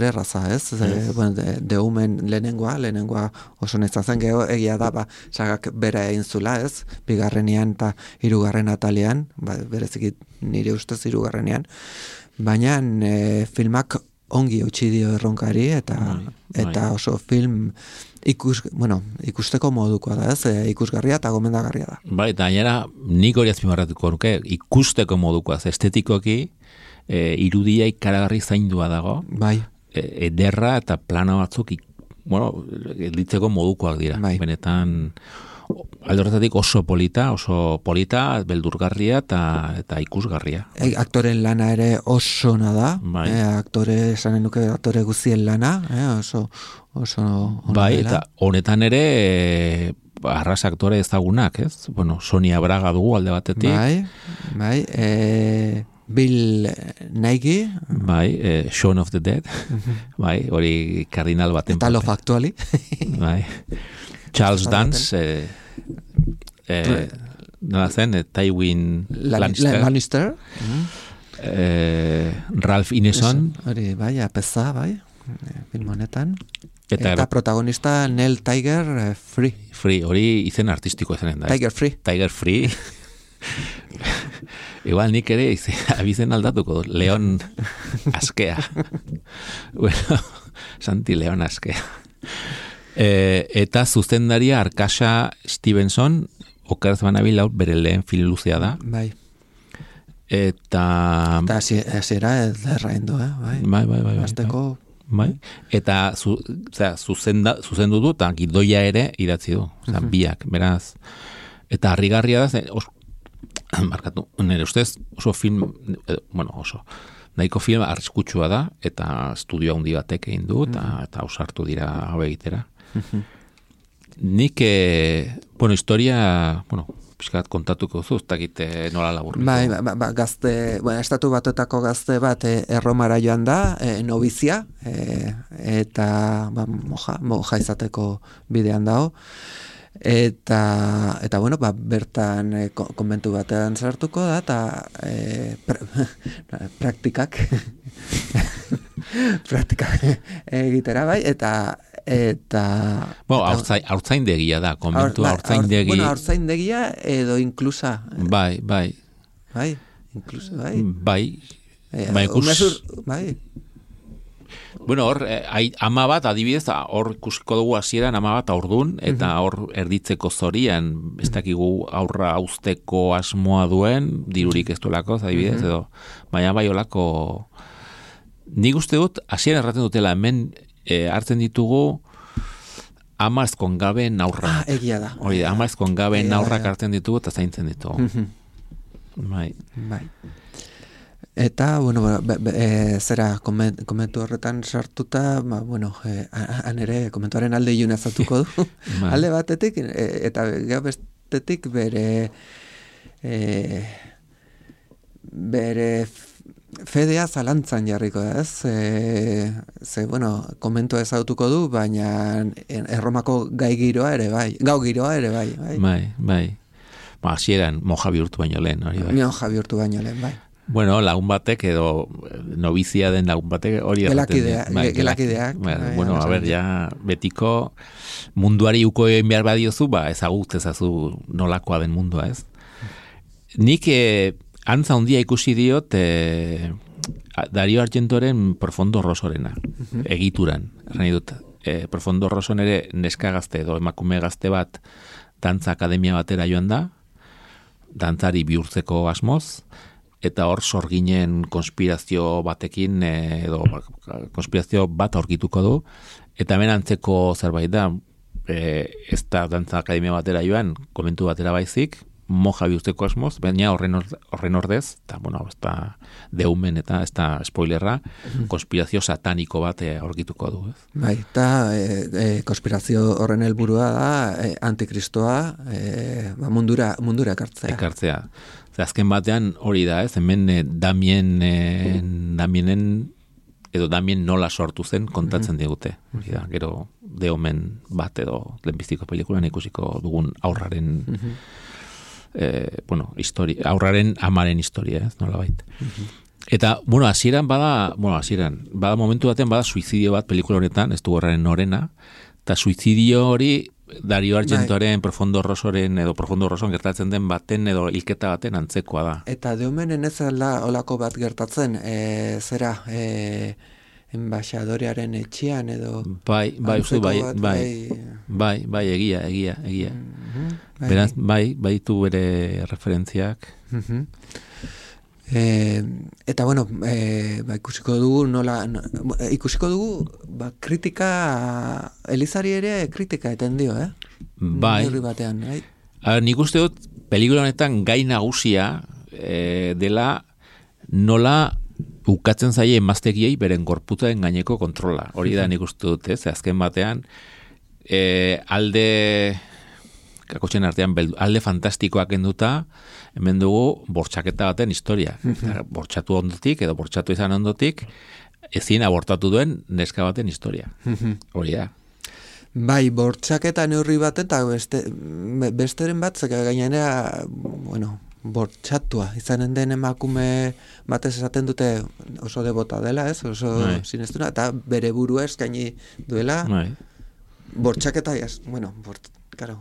erraza, ez? Bueno, de Omen lehenengoa oso netzan zen, geho egia da, sagak bera egin zula, ez? Bigarrenean eta hirugarren atalean, bereziki nire ustez hirugarrenean, baina filmak ongi eutsi dio erronkari, eta oso film ikusteko modukoa da, ez? Ikusgarria eta gomendagarria da. Bai, eta gainera nik hori azpimarratuko nuke, ikusteko modukoa, estetikoki, irudia ikaragarri zaindua dago, Bai. Ederra eta plano batzuk, ditzeko modukoak dira. Bai. Benetan, alde horretatik oso polita, beldurgarria eta ikusgarria. Aktoren lana ere oso ona da, Bai. esanen nuke aktore guztien lana, oso ona Bai, dela. eta honetan ere arras aktore ezagunak, ez? Bueno, Sonia Braga dugu alde batetik. Bai, Bill Nighy, Bai, Shaun of the Dead. Bai, hori kardinal baten. eta Love Actually. Bai. Charles Dance, nola zen, Tywin Lannister. Ralph Ineson, Hori, bai, apeza, bai, film honetan. eta protagonista Nell Tiger Free. Free, hori izen artistiko izanen da. Tiger Free. Tiger Free. Igual nik ere abizen aldatuko dut, Leon Askea. Bueno, Santi Leon Askea. Eta zuzendaria Arkasha Stevenson, okeraz banabil bere lehen film luzea da. Bai. Eta hasiera ederraindu, bai. Bai. Azteko. Bai. Eta zuzendu du eta gidoia ere idatzi du. Biak, beraz. Eta harrigarria da, markatu, nire ustez oso film, nahiko film arriskutsua da, eta estudio handi batek egin du, eta ausartu dira hau egitera. Nik, historia, pixkat kontatuko zu, ez dakit nola laburriko. Bai, gazte, estatu batuetako gazte bat erromara joan da, nobizia, eta moja izateko bidean dago. Eta bertan konbentu batean sartuko da, eta praktikak egitera, bai, eta haurtzaindegia da, konbentu haurtzaindegi. Haurtzaindegia edo inklusa. Bai. Bai, inklusa, bai. Bai. Bueno, hor, ama bat, adibidez, hor ikusiko dugu hasieran ama bat aurdun, eta hor erditzeko zorian, ez dakigu aurra hauzteko asmoa duen, dirurik ez duelako, adibidez, edo, baina bai olako, nik uste dut, hasieran erraten dutela, hemen hartzen ditugu ama ezkongabe naurra. Egia da. Hori da, ama ezkongabe Egia da, naurrak hartzen ditugu eta zaintzen ditugu. Bai. Eta, bueno, zera komentu horretan sartuta, han ere komentuaren alde iluna zatuko du. Alde batetik, eta gero bestetik bere fedea zalantzan jarriko da, ez? Komentua ezagutuko du, baina Erromako gau giroa ere bai. Bai. Hasieran moja bihurtu baino lehen, hori bai. Moja bihurtu baino lehen, bai. Bueno, lagun batek edo novizia den lagun batek hori erraten. Gelakideak. Bueno, a ver, ja, betiko munduari uko egin behar badiozu, ezagut ezazu nolakoa den mundua, ez? Nik antza handia ikusi diot Dario Argentoren Profondo Rosorena, egituran. Erran dut, Profondo Roson ere neska gazte edo emakume gazte bat dantza akademia batera joan da, dantzari bihurtzeko asmoz, eta hor sorginen konspirazio batekin, edo konspirazio bat aurkituko du, eta hemen antzeko zerbait da, ez da dantza akademia batera joan, komentu batera baizik, moja bihurtzeko asmoz, baina horren ordez, eta, ez da deumen eta ez da spoilerra, konspirazio sataniko bat aurkituko du. Bai, eta konspirazio horren helburua da antikristoa mundura ekartzea. Azken batean hori da, ez? Hemen Damien nola sortu zen kontatzen digute. Hori da, gero deumen bat edo lehenbiztiko pelikulan ikusiko dugun aurraren aurraren amaren historia, ez, nolabait. Eta, hasieran bada momentu batean bada suizidio bat pelikula honetan, ez du horren norena, eta suizidio hori Dario Argentoren Profondo Rosoren edo Profondo Roson gertatzen den baten edo hilketa baten antzekoa da. Eta deumenen ez ala olako bat gertatzen, enbaixadorearen etxean edo... Bai, egia. Beraz, bai tu bere referentziak. Eta ikusiko dugu kritika Elizari ere kritika eten dio, Bai. Batean, bai. Nik uste dut pelikula honetan gai nagusia dela nola ukatzen zaie emaztegiei beren gorputzaren gaineko kontrola. Hori da nik uste dut, azken batean kakotxen artean alde fantastikoak enduta, hemen dugu bortxaketa baten historia. Bortxatu ondotik edo bortxatu izan ondotik ezin abortatu duen neska baten historia. Hori da. Bai, bortxaketa neurri baten eta besteren bat, gainera, bortxatua izanen den emakume batez esaten dute oso debota dela, ez? Oso sinestuna, eta bere burua eskaini duela bortxaketa, claro.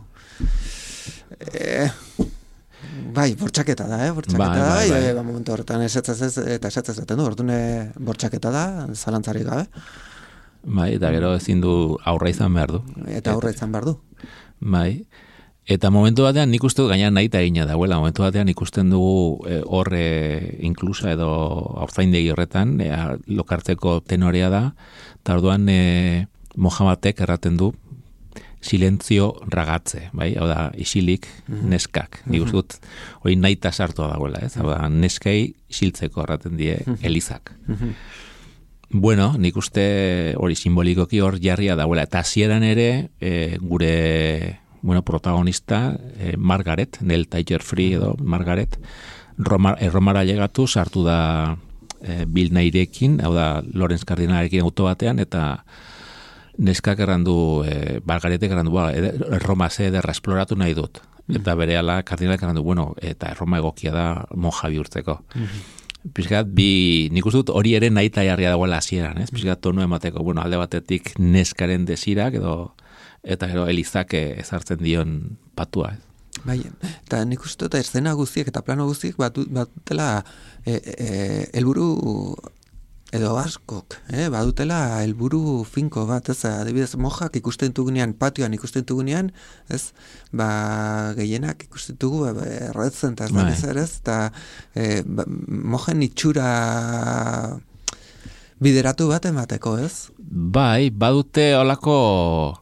Bortxaketa da, momentu horretan esatzen du, orduan bortxaketa da, zalantzarik gabe. Bai, eta gero ezin du aurra izan behar du. Eta aurra izan behar du. Bai, eta momentu batean nik uste du gainean nahi eta egina dagoela, momentu batean ikusten dugu horre inklusa edo aurzaindegi horretan, lokartzeko tenorea da, eta orduan Mohamadek erraten du, silentzio ragatze, bai? Hau da, isilik neskak. Nik uste dut, hori nahi eta sartua dagoela, ez? Hau da, neskei isiltzeko erraten die elizak. Bueno, nik uste hori simbolikoki hor jarria dagoela. Eta hasieran ere, gure protagonista, Margaret, Nell Tiger-Free edo Margaret, Romara llegatu, sartu da Bill Nighyrekin, hau da, Lawrence Cardinalarekin auto batean, eta neskak errandu, Margaretek errandu, Roma ederra esploratu nahi dut. Eta berehala Cardinalek errandu, eta Roma egokia da monja bihurtzeko. Pizkat, nik uste dut hori ere nahi eta jarria dagoela hasieran, ez? Pizkat tonu emateko, alde batetik neskaren desirak eta gero elizak ezartzen dion patua, ez? Bai, eta nik uste dut eszena guztiek eta plano guztiek batutela helburu edo askok, badutela helburu finko bat, ez, adibidez, mojak ikusten dugunean, patioan ikusten dugunean, ez, gehienak ikusten dugu, erretzen, eta ez, eta mojen itxura bideratu bat emateko, ez? Bai, badute olako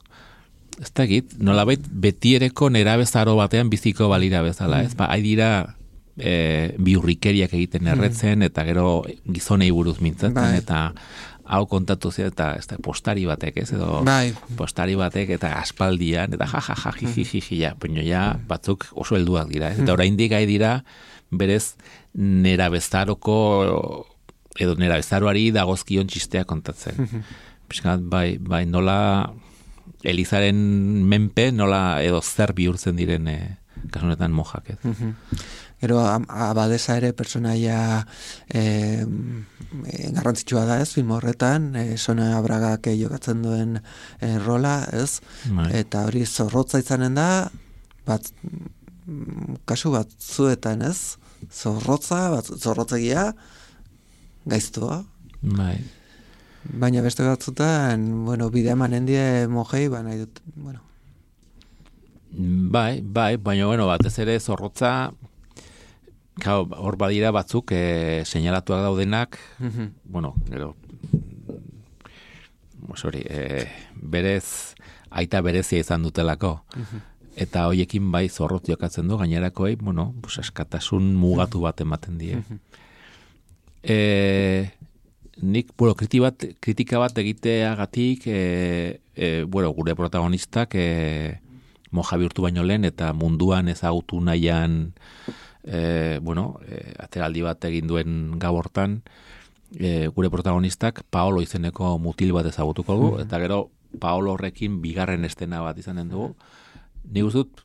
ez dakit, nolabait betiereko nerabezaro batean biziko balira bezala, ez? Ba, dira biurrikeriak egiten erretzen, eta gero gizonei buruz mintzatzen, eta hau kontatu zea, eta ez da, postari batek, ez? Edo postari batek, eta aspaldian, eta ja, baina ja, batzuk oso helduak dira, ez? Eta oraindik dira, berez, nerabezaroko, edo nerabezaroari dagozkion txistea kontatzen. Piskat, bai, nola Elizaren menpe, nola edo zer bihurtzen diren kasunetan mojak, ez? Gero, abadesa ere personaia garrantzitsua da, ez, film horretan, Sonia Bragak jokatzen duen rola, ez? Eta hori zorrotza izanen da, kasu batzuetan, ez? Zorrotzegia, gaiztua. Bai. Baina beste batzutan, bidea manen die mojei, nahi dut, Bai, baina, batez ere zorrotza, hor badira batzuk seinalatuak daudenak, gero, berez, aita berezia izan dutelako. Eta hoiekin bai zorrotz jokatzen du, gainerakoei, eskatasun mugatu bat ematen die. Nik, kritika bat egiteagatik, gure protagonistak moja bihurtu baino lehen, eta munduan ezagutu nahian, ateraldi bat egin duen gau hortan, gure protagonistak Paolo izeneko mutil bat ezagutuko du, eta gero Paolo horrekin bigarren estena bat izanen dugu. Nik uzut,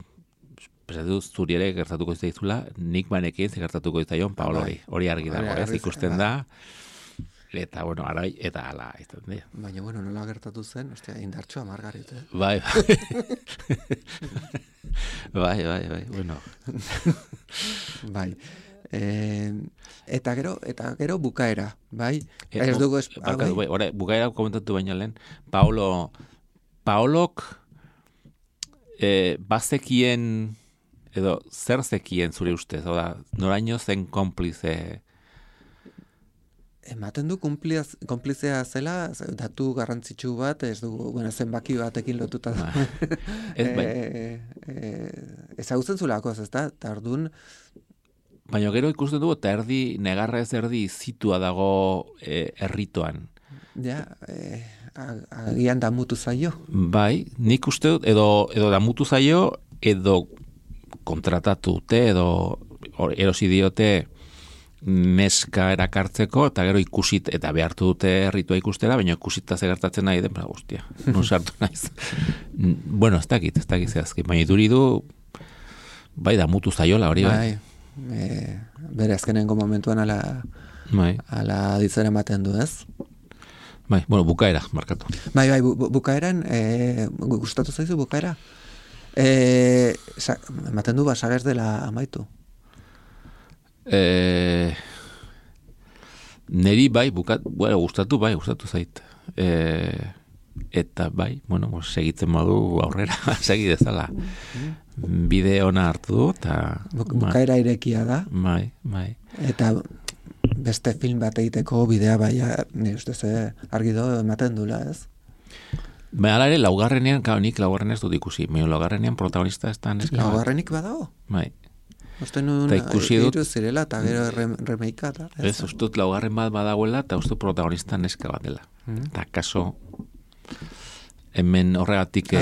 zuri ere gertatuko izaizula, nik banekin gertatuko izaion Paolo hori argi dago, ez ikusten da, eta, arai, eta ala, izan dira. Baina, nola gertatu zen, indartxoa margarit, Bai. Bai, Bai. Eta gero bukaera, bai? Ez dugu bukaera komentatu baina lehen, Paolok bazekien, edo zer zekien zure ustez, noraino zen konplize? Ematen du konplizea zela, datu garrantzitsu bat, ez dugu, zenbaki batekin lotuta da. Ezagutzen zulako, ez da? Tardun. Baina gero ikusten dugu, eta negarra ez erdi zitua dago erritoan. Ja, agian damutu zaio. Bai, nik uste dut, edo damutu zaio, edo kontratatu dute, edo erosi diote neska erakartzeko, eta gero ikusit, eta behartu dute erritua ikustera, baina ikusita zegertatzen nahi den, guztia, non sartu naiz. Ez dakit zehazki, baina iduridu, bai, damutu zaiola hori, bai. Bere azkenengo momentuan ala ditzen ematen du, ez? Bai, bukaera, markatu. Bai, bukaeran, gustatu zaizu bukaera? Ematen du basagaz dela amaitu. Neri bai, gustatu zait. Eta bai, segitzen modu aurrera, segi dezala. Bide ona hartu du, eta... Bukaera irekia da. Bai. Eta beste film bat egiteko bidea bai, nire ustez argi do ematen dula, ez? Hala ere, laugarrenean, nik laugarrenean ez dut ikusi, laugarrenean protagonista ez da neska. Laugarrenik badago? Bai. Uste nun iru zirela eta gero remeika. Ez, ustut laugarren bat badagoela eta ustut protagonista neska bat dela. Eta kaso, hemen horregatik...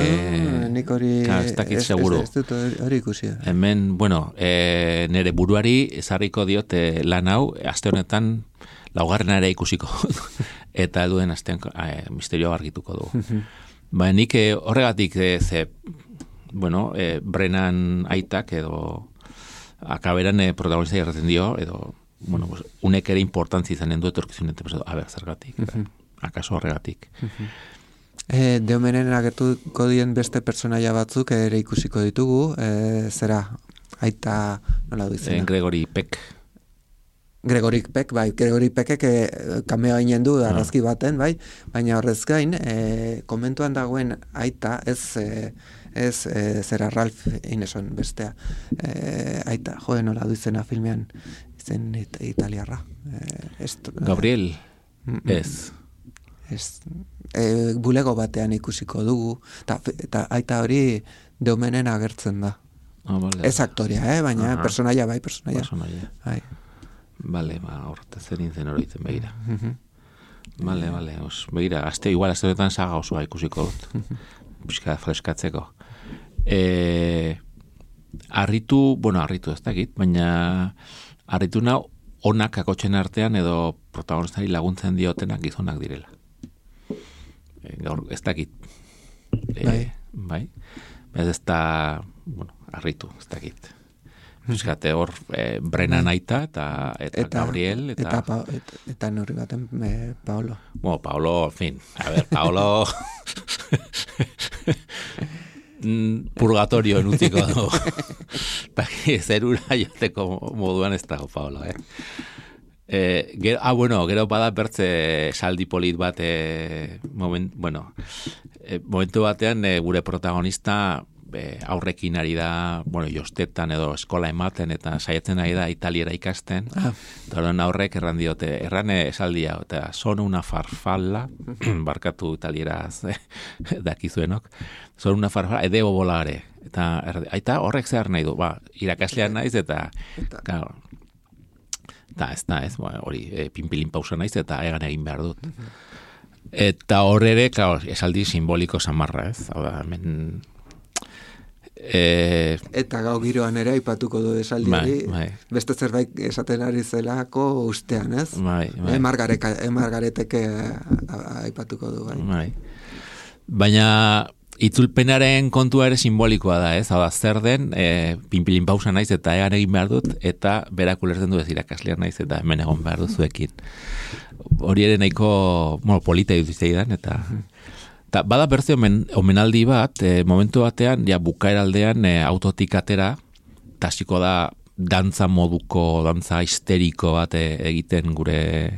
Nik hori... Ez dakit seguru. Ez dut hori ikusi. Hemen, nire buruari ezarriko diot lan hau, aste honetan laugarrena ere ikusiko. Eta duen astean misterioa argituko dugu. Nik horregatik Brennan aitak edo akaberan protagonista irraten dio, edo, unek ere importantzi izanen du etorkizunetan, zergatik, akaso horregatik. Deomenen agertuko dien beste personaia batzuk ere ikusiko ditugu, zera, aita, nola du izena? Gregory Peck. Gregory Peckek kameo hainen du arrazki baten, bai, baina horrez gain, komentuan dagoen aita, ez zera Ralph Ineson bestea, aita, nola du izena filmean, izen italiarra. Gabriel, ez. bulego batean ikusiko dugu, eta aita hori Deumenen agertzen da. Vale. Ez aktoria, baina personaia bai, personaia. Bai. Bale, horretaz zerin zen horitzen begira. Bale, begira, igual azte horretan saga osoa ikusiko dut. Pixka freskatzeko. Arritu ez dakit, baina arritu nau onak akotxen artean edo protagonistari laguntzen diotenak gizonak direla. Gaur, ez dakit. Bai. Ez da, arritu, ez dakit. Euskate hor, Brennan aita eta Gabriel. Eta norri baten Paolo. Paolo, en fin. A ver, Paolo... purgatorio utziko du. Zerura joteko moduan ez dago, Paolo, gero bada bertze saldi polit bat momentu batean gure protagonista aurrekin ari da, jostetan edo eskola ematen eta saiatzen ari da italiera ikasten. Eta horren aurrek erran diote, esaldia, eta son una farfalla, barkatu italieraz dakizuenok, son una farfalla, debo volare. Eta horrek zehar nahi du, irakaslean naiz eta ez, hori pinpilin pausa naiz eta egan egin behar dut. Eta hor ere, esaldi simboliko samarra, ez? Hau da, hemen... Eta gau giroan ere aipatuko du esaldi hori, beste zerbait esaten ari zelako ustean, ez? Margaretek aipatuko du, bai. Baina itzulpenaren kontua ere simbolikoa da, ez? Hau da, zer den, pinpilin pausa naiz eta egan egin behar dut, eta berak ulertzen du ez irakaslean naiz eta hemen egon behar duzuekin. Hori ere nahiko, polita dutizeidan, eta bada bertze omenaldi bat, momentu batean, bukaeraldean autotik atera, tasiko da dantza moduko, dantza histeriko bat egiten gure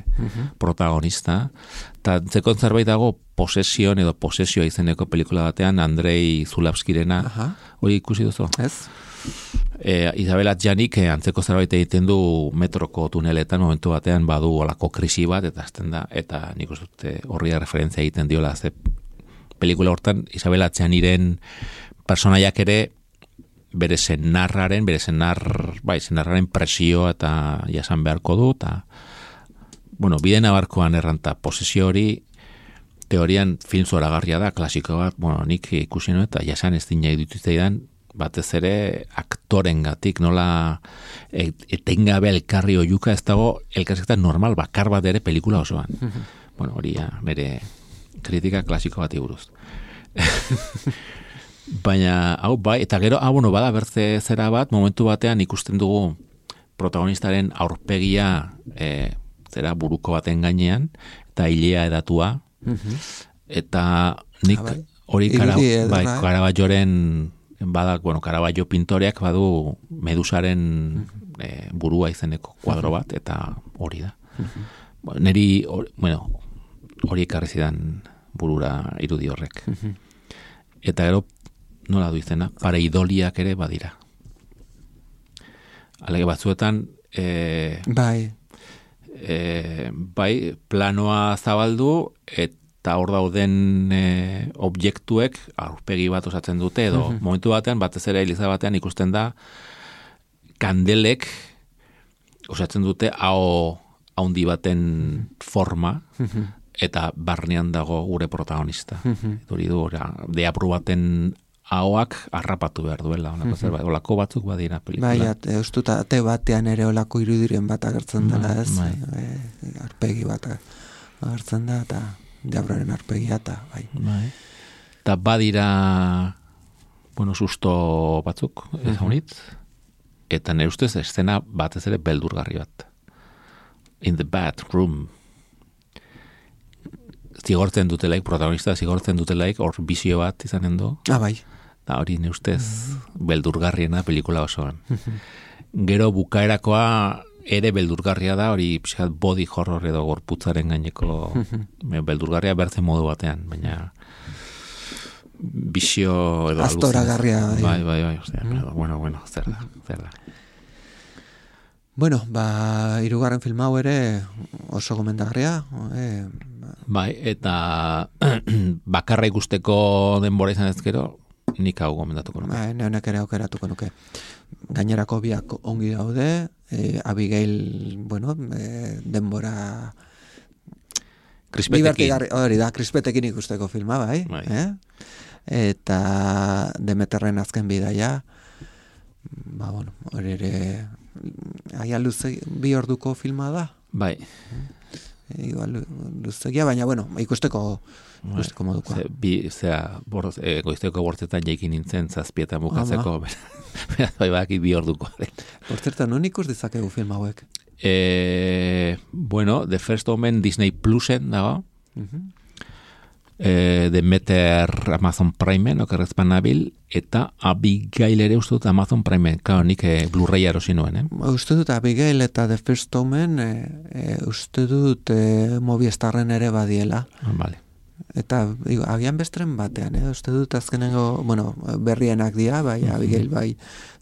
protagonista. Eta zekon zerbait dago Posesion edo Posesioa izeneko pelikula batean, Andrei Zulawskirena, hori ikusi duzu? Ez. Isabel Adjanik antzeko zerbait egiten du metroko tuneletan, momentu batean badu olako krisi bat, eta azten da, eta nik uste horri referentzia egiten diola, ze pelikula hortan Isabel Adjaniren personaiak ere bere senarraren presioa eta jasan beharko du, eta bide nabarkoan erranta posesio hori teorian film zoragarria da, klasiko bat, nik ikusi nuen eta jasan ez dina idutitzaidan batez ere aktorengatik nola etengabe elkarri oiuka ez dago elkarrizketa normal bakar bat ere pelikula osoan. Hori bere kritika klasiko bati buruz. Baina, eta gero, bada bertze zera bat, momentu batean ikusten dugu protagonistaren aurpegia zera buruko baten gainean, eta hilea edatua, eta nik hori Caravaggioren Caravaggio pintoreak badu Medusaren burua izeneko kuadro bat, eta hori da. Neri, hori ekarri zidan burura irudi horrek. Eta gero, nola du izena, pareidoliak ere badira. Alege batzuetan, planoa zabaldu, eta hor dauden objektuek aurpegi bat osatzen dute, edo momentu batean, batez ere eliza batean ikusten da, kandelek osatzen dute hau haundi baten forma, eta barnean dago gure protagonista. Hori du, deapru baten ahoak harrapatu behar duela. Olako batzuk badira pelikula. Eustuta ate batean ere olako irudiren bat agertzen dela, ez? Arpegi bat agertzen da, eta deabraren arpegia, eta bai. Eta badira, susto batzuk, ez honit, eta nire ustez eszena batez ere beldurgarri bat. In the bathroom. Zigortzen dutelaik, protagonista zigortzen dutelaik, hor bizio bat izanen du. Bai. Da hori ne ustez beldurgarriena pelikula osoan. Gero bukaerakoa ere beldurgarria da, hori pixkat body horror edo gorputzaren gaineko beldurgarria bertzen modu batean, baina bizio edo astoragarria. Bai. Bueno, zer da. Bueno, hirugarren film hau ere oso gomendagarria. Bai, eta bakarra ikusteko denbora izan ezkero, nik hau gomendatuko nuke. Bai, neonek ere aukeratuko nuke. Gainerako biak ongi daude, Abigail, bueno, denbora... Krispetekin. Hori da, krispetekin ikusteko filma, bai. Eta Demeterren azken bidaia, bueno, hori ere... Aia luze, 2 orduko filma da. Bai. Igual luzegia, baina, bueno, ikusteko modukoa. Goizteko bortzetan jaikin nintzen 7 bukatzeko, bai baki 2 orduko. Por cierto, non ikus dizakegu film hauek? Bueno, The First Omen Disney Plusen dago. Demeter Amazon Primeen, okerrezpan nabil, eta Abigail ere uste dut Amazon Primeen, nik Blu-ray erosi nuen, Uste dut Abigail eta The First Omen, uste dut Movistarren ere badiela. Vale. Eta agian bestren batean, uste dut azkenengo, bueno, berrienak dira, bai, Abigail, bai,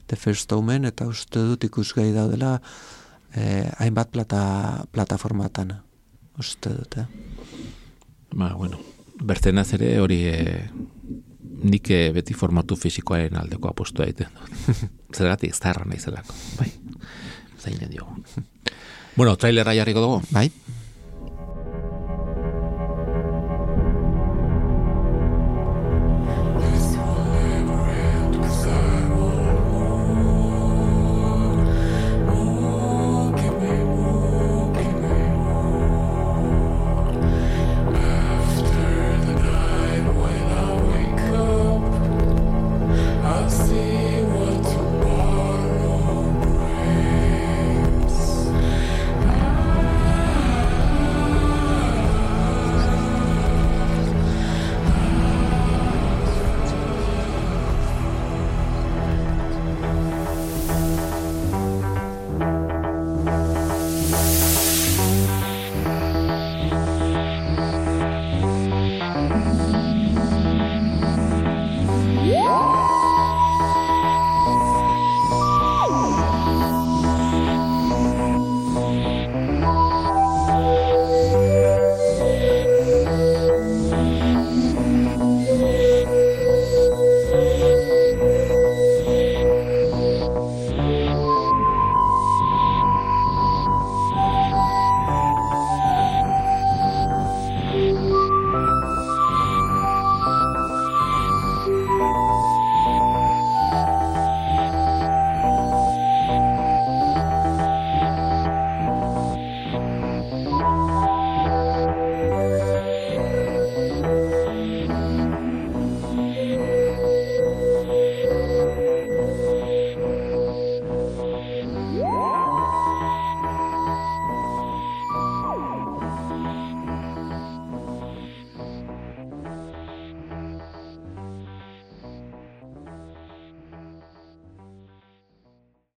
The First Omen, eta uste dut ikusgai daudela hainbat plataformatan, uste dut, Bueno, bertenaz ere hori nik beti formatu fisikoaren aldeko apostua egiten dut. Zergatik zarra nahi zelako, bai. Zainen diogu. Bueno, trailerra jarriko dugu? Bai.